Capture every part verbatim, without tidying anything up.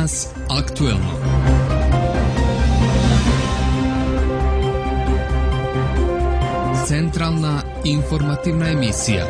Danas aktuelno. Centralna informativna emisija.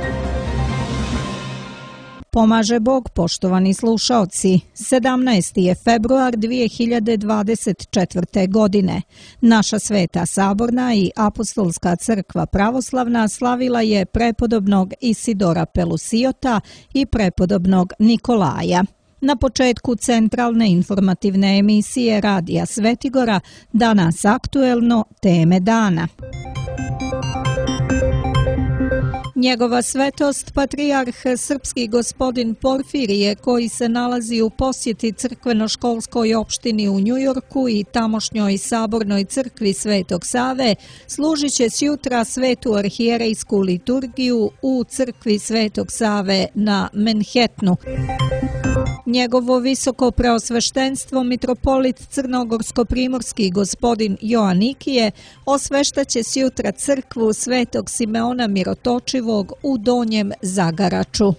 Pomaže Bog, poštovani slušaoci. sedamnaesti je februar dvije hiljade dvadeset četvrte. godine. Naša Sveta Saborna i Apostolska crkva pravoslavna slavila je prepodobnog Isidora Pelusiota i prepodobnog Nikolaja. Na početku centralne informativne emisije Radija Svetigora danas aktuelno teme dana. Njegova svetost, patrijarh srpski gospodin Porfirije, koji se nalazi u posjeti crkveno-školskoj opštini u Njujorku i tamošnjoj sabornoj crkvi Svetog Save, služit će sjutra svetu arhijerejsku liturgiju u crkvi Svetog Save na Manhattanu. Njegovo visoko preosveštenstvo mitropolit crnogorsko-primorski gospodin Joanikije osveštaće sjutra crkvu Svetog Simeona Mirotočivog u Donjem Zagaraču.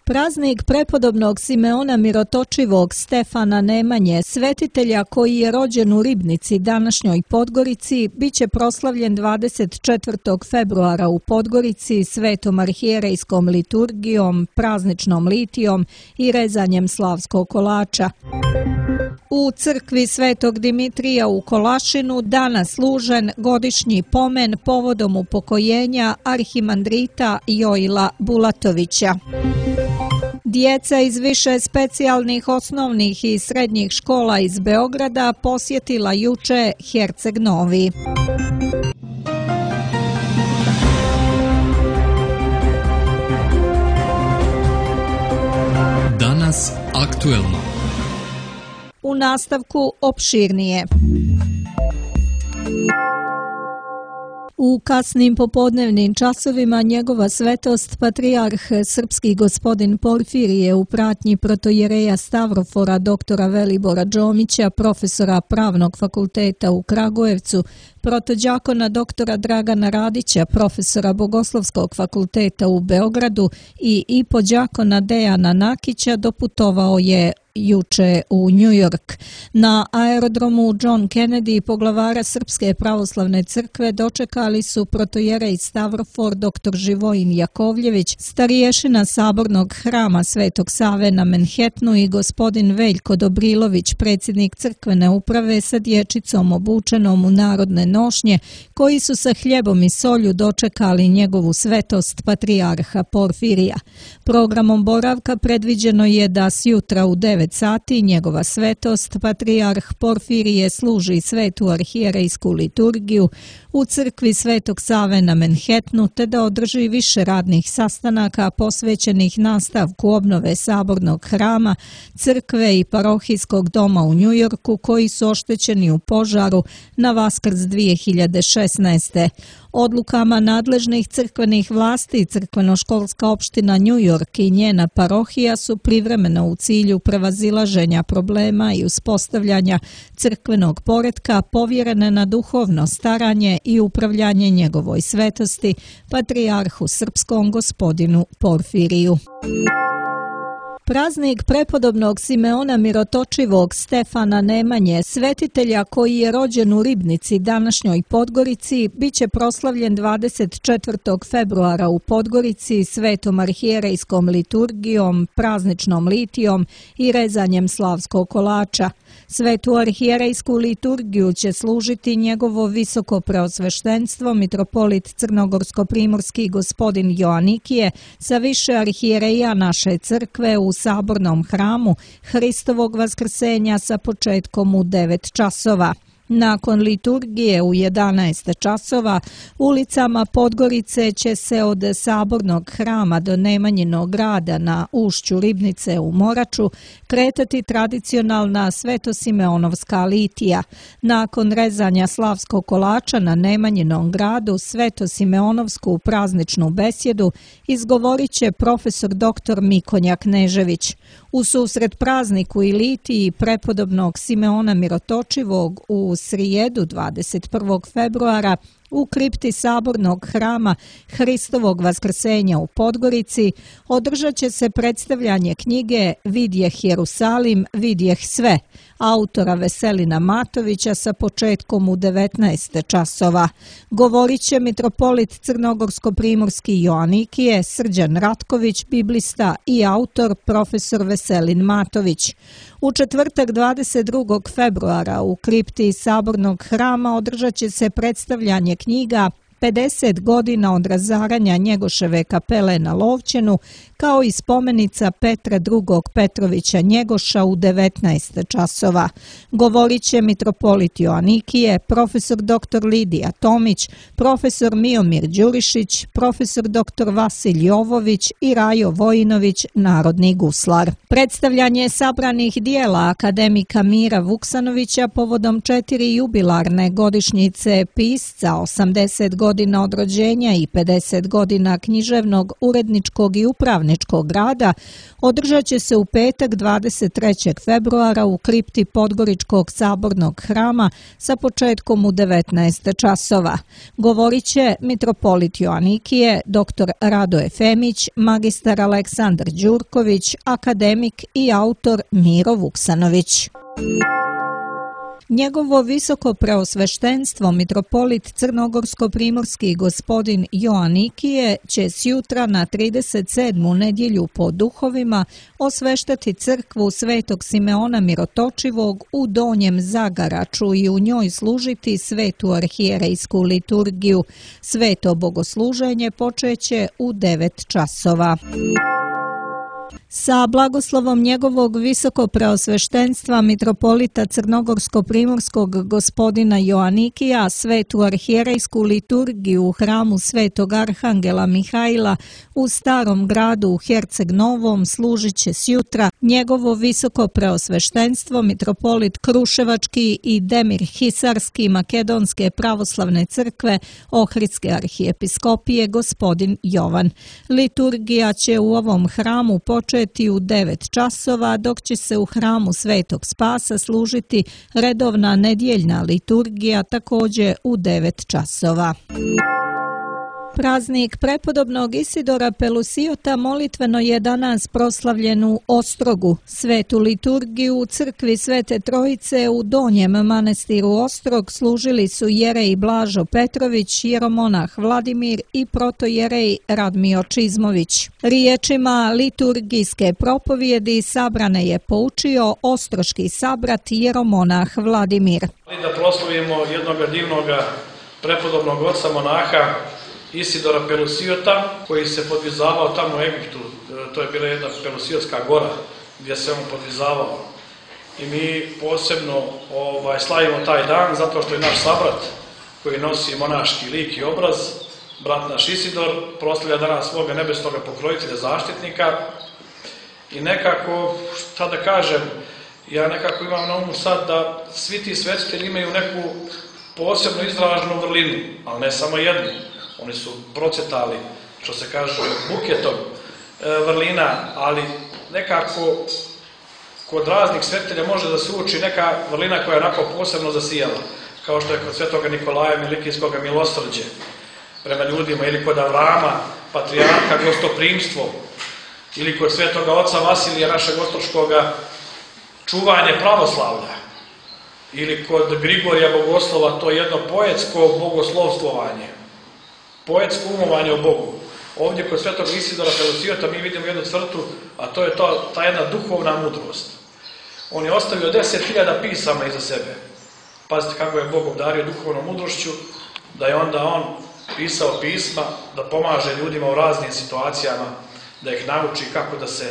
Praznik prepodobnog Simeona Mirotočivog Stefana Nemanje, svetitelja koji je rođen u Ribnici, današnjoj Podgorici, biće proslavljen dvadeset četvrtog februara u Podgorici svetom arhijerejskom liturgijom, prazničnom litijom i rezanjem slavskog kolača. U crkvi Svetog Dimitrija u Kolašinu danas služen godišnji pomen povodom upokojenja arhimandrita Joila Bulatovića. Djeca iz više specijalnih osnovnih i srednjih škola iz Beograda posjetila juče Herceg Novi. Danas aktuelno. U nastavku opširnije. U kasnim popodnevnim časovima njegova svetost patrijarh srpski gospodin Porfirije u pratnji protojereja Stavrofora doktora Velibora Đomića, profesora Pravnog fakulteta u Kragujevcu, protođakona doktora Dragana Radića, profesora Bogoslovskog fakulteta u Beogradu i ipođakona Dejana Nakića doputovao je juče u New York. Na aerodromu John Kennedy poglavara Srpske pravoslavne crkve dočekali su protojerej Stavrofor doktor Živojin Jakovljević, stariješina sabornog hrama Svetog Save na Manhattanu i gospodin Veljko Dobrilović, predsjednik crkvene uprave sa dječicom obučenom u narodne nošnje, koji su sa hljebom i solju dočekali njegovu svetost patrijarha Porfirija. Programom boravka predviđeno je da sjutra u devet sati njegova svetost patrijarh Porfirije služi svetu arhijerejsku liturgiju u crkvi Svetog Save na Manhattanu, te da održi više radnih sastanaka posvećenih nastavku obnove sabornog hrama, crkve i parohijskog doma u Njujorku koji su oštećeni u požaru na Vaskrs dvije hiljade šesnaeste. Odlukama nadležnih crkvenih vlasti crkveno-školska opština New York i njena parohija su privremeno u cilju prevazilaženja problema i uspostavljanja crkvenog poretka povjerene na duhovno staranje i upravljanje njegovoj svetosti, patrijarhu srpskom gospodinu Porfiriju. Praznik prepodobnog Simeona Mirotočivog Stefana Nemanje, svetitelja koji je rođen u Ribnici, današnjoj Podgorici, biće proslavljen dvadeset četvrtog februara u Podgorici svetom arhijerejskom liturgijom, prazničnom litijom i rezanjem slavskog kolača. Svetu arhijerejsku liturgiju će služiti njegovo visoko preosveštenstvo mitropolit crnogorsko-primorski gospodin Joanikije sa više arhijereja naše crkve u sabornom hramu Hristovog vaskrsenja sa početkom u devet časova. Nakon liturgije u jedanaest časova ulicama Podgorice će se od sabornog hrama do Nemanjinog grada na ušću Ribnice u Moraču kretati tradicionalna svetosimeonovska litija. Nakon rezanja slavskog kolača na Nemanjinom gradu svetosimeonovsku prazničnu besjedu izgovorit će profesor doktor Mikonja Knežević. U susret prazniku i litiji prepodobnog Simeona Mirotočivog u srijedu dvadeset prvog februara u kripti Sabornog hrama Hristovog vaskrsenja u Podgorici održat će se predstavljanje knjige Vidjeh Jerusalim, vidjeh sve, autora Veselina Matovića sa početkom u devetnaest časova. Govorit će mitropolit Crnogorsko-primorski Joanikije, Srđan Ratković, biblista i autor profesor Veselin Matović. U četvrtak dvadeset drugog februara u kripti Sabornog hrama održat će se predstavljanje knjiga pedeset godina od razaranja Njegoševe kapele na Lovćenu, kao i spomenica Petra drugog Petrovića Njegoša u devetnaest časova. Govorit će mitropolit Joanikije, profesor doktor Lidija Tomić, profesor Miomir Đurišić, profesor doktor Vasilj Jovović i Rajo Vojinović, narodni guslar. Predstavljanje sabranih dijela akademika Mira Vuksanovića povodom četiri jubilarne godišnjice pisca, osamdeset godina od rođenja i pedeset godina književnog, uredničkog i upravničkog rada održat će se u petak dvadeset trećeg februara u kripti Podgoričkog Sabornog hrama sa početkom u devetnaest časova. Govorit će mitropolit Joanikije, doktor Radoje Femić, magistar Aleksandar Đurković, akademik i autor Miro Vuksanović. Njegovo visoko preosveštenstvo mitropolit Crnogorsko-primorski gospodin Joanikije će sjutra na trideset sedmu nedjelju po duhovima osveštati crkvu Svetog Simeona Mirotočivog u Donjem Zagaraču i u njoj služiti svetu arhijerejsku liturgiju. Sveto bogosluženje počeće u devet časova. Sa blagoslovom njegovog visoko preosveštenstva mitropolita Crnogorsko-primorskog gospodina Joanikija svetu arhijerejsku liturgiju u hramu Svetog Arhangela Mihajla u Starom gradu u Herceg Novom služit će sjutra njegovo visoko preosveštenstvo mitropolit Kruševački i Demir Hisarski Makedonske pravoslavne crkve Ohridske arhijepiskopije gospodin Jovan. Liturgija će u ovom hramu početi u devet časova, dok će se u hramu Svetog Spasa služiti redovna nedjeljna liturgija također u devet časova. Praznik prepodobnog Isidora Pelusiota molitveno je danas proslavljen u Ostrogu. Svetu liturgiju u crkvi Svete Trojice u Donjem manastiru Ostrog služili su jerej Blažo Petrović, jeromonah Vladimir i protojerej Radmio Čizmović. Riječima liturgijske propovjedi sabrane je poučio ostroški sabrat jeromonah Vladimir. Da proslavimo jednog divnog prepodobnog oca monaha Isidora Pelusiota, koji se podvizavao tamo u Egiptu. To je bila jedna Pelusiotska gora gdje se on podvizavao. I mi posebno ovaj, slavimo taj dan zato što je naš sabrat koji nosi monaški lik i obraz, brat naš Isidor, proslavlja danas svoga nebesnog pokrojitelja, zaštitnika. I nekako, šta da kažem, ja nekako imam na umu sad da svi ti svetitelji imaju neku posebno izraženu vrlinu, ali ne samo jednu. Oni su procetali, što se kaže, buketom e, vrlina, ali nekako kod raznih svetitelja može da se uči neka vrlina koja je onako posebno zasijala, kao što je kod svetoga Nikolaja Milikijskog milosrđe prema ljudima, ili kod Avrama, patrijarha, gostoprimstvo, ili kod svetoga oca Vasilija, našeg ostroškoga, čuvanje pravoslavlja, ili kod Grigorija Bogoslova, to je jedno poetsko bogoslovstvovanje, poetsko umovanje o Bogu. Ovdje kod svetog Isidora Pelusiota mi vidimo jednu crtu, a to je to, ta jedna duhovna mudrost. On je ostavio deset hiljada pisama iza sebe. Pazite kako je Bog obdario duhovnom mudrošću, da je onda on pisao pisma, da pomaže ljudima u raznim situacijama, da ih nauči kako da se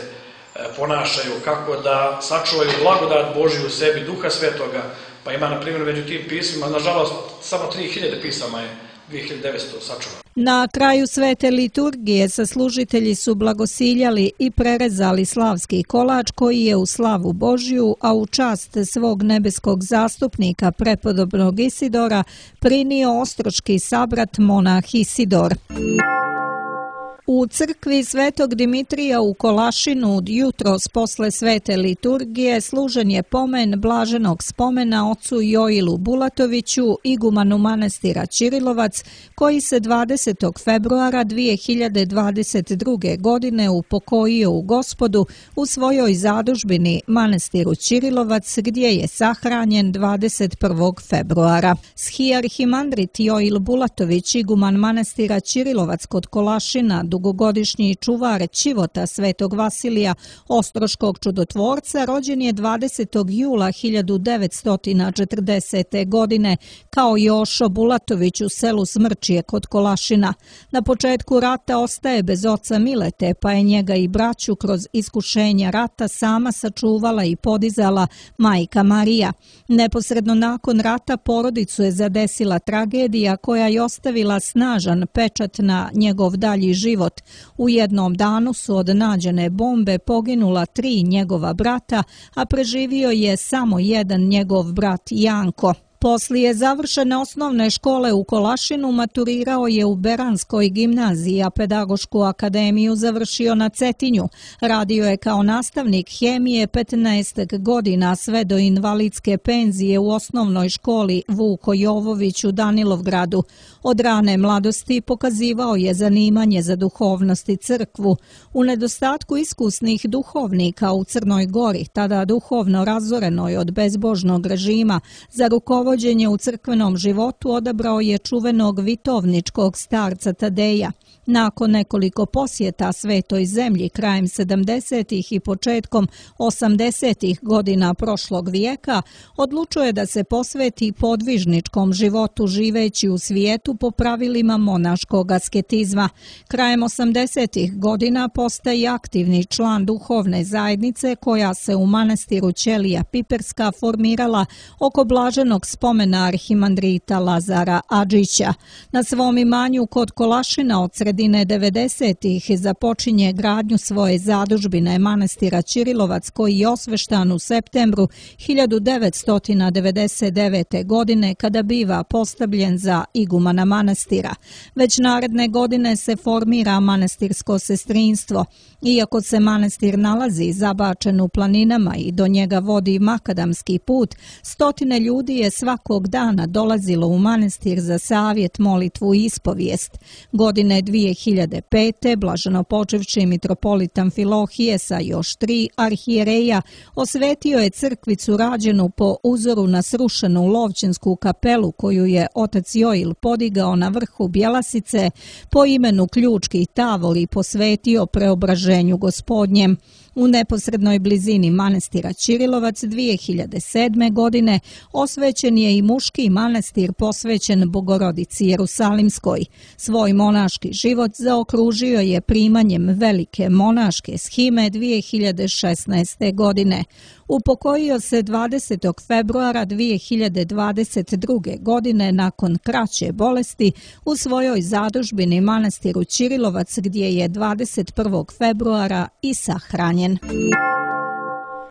ponašaju, kako da sačuvaju blagodat Božju u sebi, Duha Svetoga. Pa ima, na primjer, među tim pismima, nažalost, samo tri hiljade pisama je dvije hiljade devetsto sačuvano. Na kraju svete liturgije saslužitelji su blagosiljali i prerezali slavski kolač koji je u slavu Božju, a u čast svog nebeskog zastupnika prepodobnog Isidora prinio ostroški sabrat monah Isidor. U crkvi Svetog Dimitrija u Kolašinu jutros posle svete liturgije služen je pomen blaženog spomena ocu Joilu Bulatoviću, igumanu manastira Ćirilovac, koji se dvadesetog februara dvije hiljade dvadeset druge. godine upokojio u Gospodu u svojoj zadužbini manastiru Ćirilovac, gdje je sahranjen dvadeset prvog februara. Schiarhimandrit Joil Bulatović, iguman manastira Ćirilovac kod Kolašina, dugogodišnji čuvar ćivota Svetog Vasilija Ostroškog čudotvorca, rođen je dvadesetog jula hiljadu devetsto četrdesete. godine kao Jošo Bulatović u selu Smrčije kod Kolašina. Na početku rata ostaje bez oca Milete, pa je njega i braću kroz iskušenja rata sama sačuvala i podizala majka Marija. Neposredno nakon rata porodicu je zadesila tragedija koja je ostavila snažan pečat na njegov dalji život. U jednom danu su od nađene bombe poginula tri njegova brata, a preživio je samo jedan njegov brat Janko. Poslije završene osnovne škole u Kolašinu maturirao je u Beranskoj gimnaziji, a pedagošku akademiju završio na Cetinju. Radio je kao nastavnik hemije petnaest godina sve do invalidske penzije u osnovnoj školi Vuko Jovović u Danilovgradu. Od rane mladosti pokazivao je zanimanje za duhovnost i crkvu. U nedostatku iskusnih duhovnika u Crnoj Gori, tada duhovno razorenoj od bezbožnog režima, za rukovođenje u crkvenom životu odabrao je čuvenog vitovničkog starca Tadeja. Nakon nekoliko posjeta svetoj zemlji krajem sedamdesetih i početkom osamdesetih godina prošlog vijeka, odlučuje da se posveti podvižničkom životu živeći u svijetu po pravilima monaškog asketizma. Krajem osamdesetih godina postaje aktivni član duhovne zajednice koja se u manastiru Ćelija Piperska formirala oko blaženog spomena arhimandrita Lazara Adžića. Na svom imanju kod Kolašina od sredine devedesetih započinje gradnju svoje zadužbine manastira Ćirilovac, koji je osveštan u septembru hiljadu devetsto devedeset devete. godine kada biva postavljen za igumana manastira. Već naredne godine se formira manastirsko sestrinstvo. Iako se manastir nalazi zabačen u planinama i do njega vodi makadamski put, stotine ljudi je svakog dana dolazilo u manastir za savjet, molitvu i ispovijest. Godine dvije hiljade pete. blaženopočevši mitropolit Amfilohije sa još tri arhijereja osvetio je crkvicu rađenu po uzoru na srušenu Lovćensku kapelu koju je otac Joil podigao na vrhu Bjelasice po imenu Ključki tavol i posvetio preobraženju Gospodnjem. U neposrednoj blizini manastira Ćirilovac dvije hiljade sedme. godine osvećen je i muški manastir posvećen Bogorodici Jerusalimskoj. Svoj monaški život zaokružio je primanjem velike monaške shime dvije hiljade šesnaeste. godine. Upokojio se dvadesetog februara dvije hiljade dvadeset druge. godine nakon kraće bolesti u svojoj zadužbini manastiru Ćirilovac, gdje je dvadeset prvog februara i sahranjen.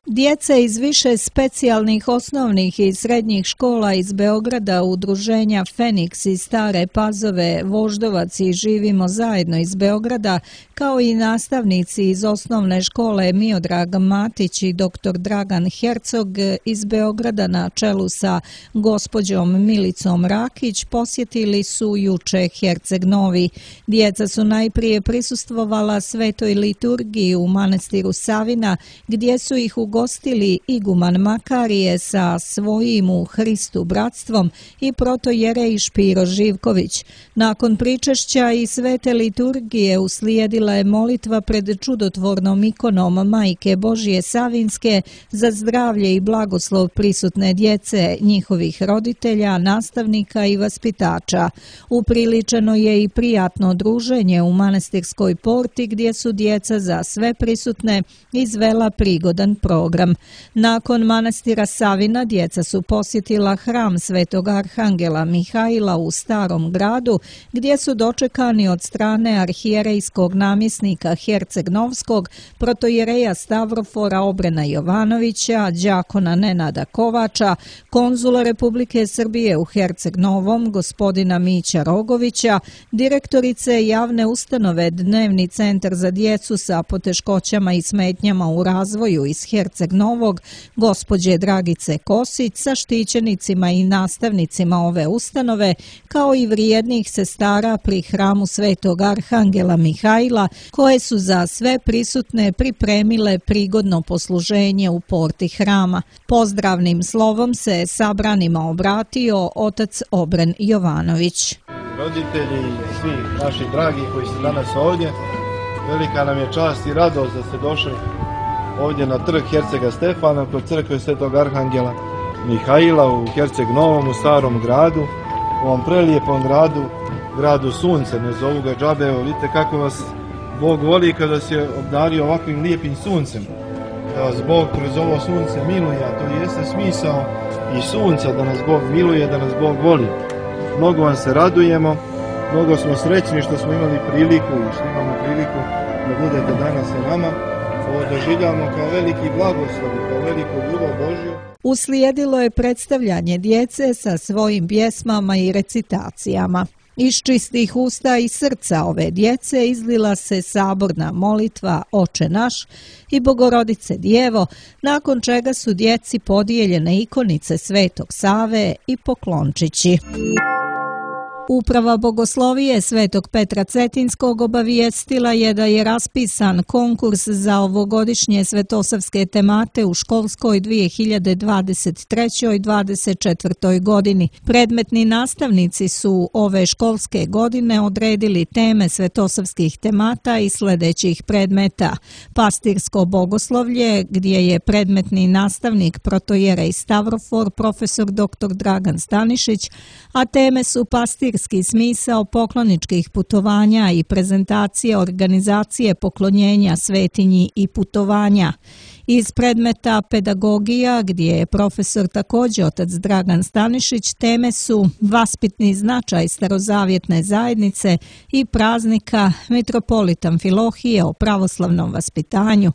Djeca iz više specijalnih osnovnih i srednjih škola iz Beograda, udruženja Feniks iz Stare Pazove, Voždovac i Živimo zajedno iz Beograda, kao i nastavnici iz osnovne škole Miodrag Matić i doktor Dragan Hercog iz Beograda na čelu sa gospođom Milicom Rakić posjetili su juče Herceg Novi. Djeca su najprije prisustvovala svetoj liturgiji u manastiru Savina, gdje su ih ugostili iguman Makarije sa svojim u Hristu bratstvom i protojerej Špiro Živković. Nakon pričešća i svete liturgije uslijedila je molitva pred čudotvornom ikonom Majke Božije Savinske za zdravlje i blagoslov prisutne djece, njihovih roditelja, nastavnika i vaspitača. Upriličeno je i prijatno druženje u manastirskoj porti, gdje su djeca za sve prisutne izvela prigodan provod. program. Nakon manastira Savina djeca su posjetila hram Svetog Arhangela Mihaila u Starom gradu, gdje su dočekani od strane arhijerejskog namjesnika Herceg-Novskog, protojereja Stavrofora Obrena Jovanovića, đakona Nenada Kovača, konzula Republike Srbije u Herceg-Novom, gospodina Mića Rogovića, direktorice javne ustanove Dnevni centar za djecu sa poteškoćama i smetnjama u razvoju iz Herceg-Novog, gospođe Dragice Kosić, sa štićenicima i nastavnicima ove ustanove, kao i vrijednih sestara pri hramu Svetog Arhangela Mihaila, koje su za sve prisutne pripremile prigodno posluženje u porti hrama. Pozdravnim slovom se sabranima obratio otac Obren Jovanović. Roditelji i svi naši dragi koji su danas ovdje, velika nam je čast i radost da ste došli ovdje na trg Hercega Stefana kod crkve Svetog Arhangela Mihaila u Herceg-Novom, u Starom gradu, u ovom prelijepom gradu, gradu sunce, ne zovu ga džabe. Vidite kako vas Bog voli kada vas je obdario ovakvim lijepim suncem, da vas Bog kroz ovo sunce miluje, a to jeste smisao i sunca, da nas Bog miluje, da nas Bog voli. Mnogo vam se radujemo, mnogo smo srećni što smo imali priliku i što imamo priliku da budete danas sa nama. Ovo doživljamo kao veliki blagoslov, kao veliku ljubav Božju. Uslijedilo je predstavljanje djece sa svojim pjesmama i recitacijama. Iz čistih usta i srca ove djece izlila se saborna molitva Oče naš i Bogorodice Djevo, nakon čega su djeci podijeljene ikonice Svetog Save i poklončići. Uprava Bogoslovije Svetog Petra Cetinskog obavijestila je da je raspisan konkurs za ovogodišnje svetosavske temate u školskoj dvije hiljade dvadeset trećoj dvadeset četvrtoj godini. Predmetni nastavnici su ove školske godine odredili teme svetosavskih temata i sljedećih predmeta: pastirsko bogoslovlje, gdje je predmetni nastavnik protojerej Stavrofor, profesor doktor Dragan Stanišić, a teme su pastir smisao pokloničkih putovanja i prezentacije organizacije poklonjenja svetinji i putovanja. Iz predmeta pedagogija, gdje je profesor također otac Dragan Stanišić, teme su vaspitni značaj starozavjetne zajednice i praznika Mitropolit Amfilohije o pravoslavnom vaspitanju.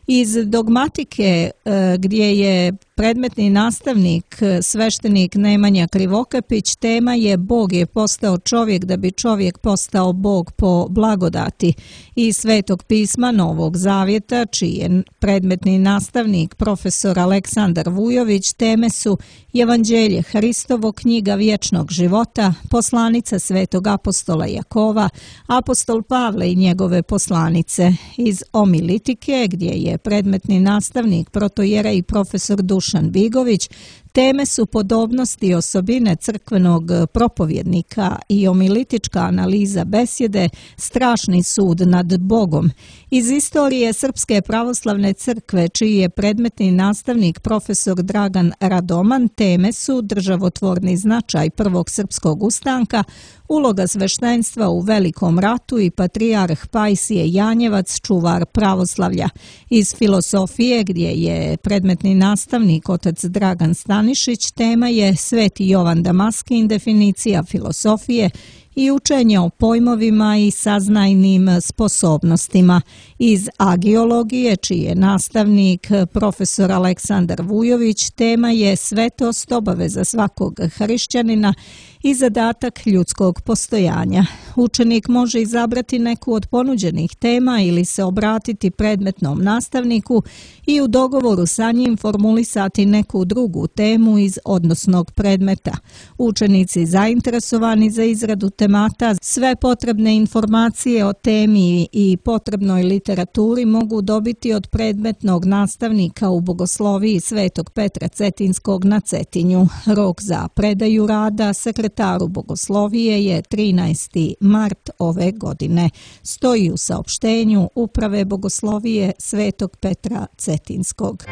Iz dogmatike, gdje je predmetni nastavnik sveštenik Nemanja Krivokapić, tema je Bog je postao čovjek da bi čovjek postao Bog po blagodati. Iz Svetog pisma Novog Zavjeta, čiji je predmetni nastavnik profesor Aleksandar Vujović, teme su Evanđelje Hristovo, knjiga vječnog života, poslanica Svetog apostola Jakova, apostol Pavle i njegove poslanice. Iz omilitike, gdje je predmetni nastavnik protojerej i profesor Dušan Bigović, teme su podobnosti i osobine crkvenog propovjednika i omilitička analiza besjede, strašni sud nad Bogom. Iz istorije Srpske pravoslavne crkve, čiji je predmetni nastavnik profesor Dragan Radoman, teme su državotvorni značaj prvog srpskog ustanka, uloga sveštenstva u Velikom ratu i patrijarh Pajsije Janjevac, čuvar pravoslavlja. Iz filosofije, gdje je predmetni nastavnik otac Dragan Stanišić, tema je Sveti Jovan Damaskin, definicija filosofije i učenje o pojmovima i saznajnim sposobnostima. Iz agiologije, čiji je nastavnik profesor Aleksandar Vujović, tema je svetost, obaveza svakog hrišćanina i zadatak ljudskog postojanja. Učenik može izabrati neku od ponuđenih tema ili se obratiti predmetnom nastavniku i u dogovoru sa njim formulisati neku drugu temu iz odnosnog predmeta. Učenici zainteresovani za izradu temata sve potrebne informacije o temi i potrebnoj literaturi mogu dobiti od predmetnog nastavnika u Bogosloviji Svetog Petra Cetinskog na Cetinju. Rok za predaju rada sekretaru Bogoslovije je trinaesti mart ove godine. Stoji u saopštenju Uprave Bogoslovije Svetog Petra Cetinskog.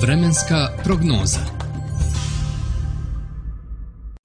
Vremenska prognoza.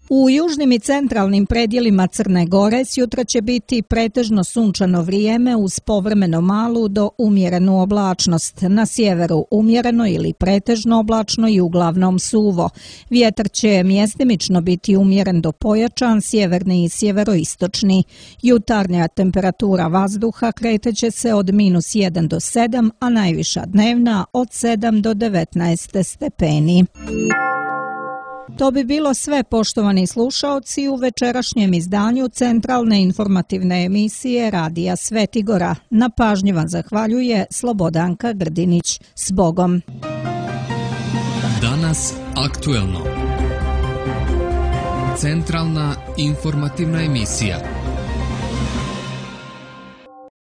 U južnim i centralnim predjelima Crne Gore sjutra će biti pretežno sunčano vrijeme uz povremeno malu do umjerenu oblačnost. Na sjeveru umjereno ili pretežno oblačno i uglavnom suvo. Vjetar će mjestimično biti umjeren do pojačan, sjeverni i sjeveroistočni. Jutarnja temperatura vazduha kreteće se od minus jedan do sedam, a najviša dnevna od sedam do devetnaest stepeni. To bi bilo sve, poštovani slušaoci, u večerašnjem izdanju centralne informativne emisije Radija Svetigora. Na pažnji vam zahvaljuje Slobodanka Grdinić. S Bogom! Danas aktuelno. Centralna informativna emisija.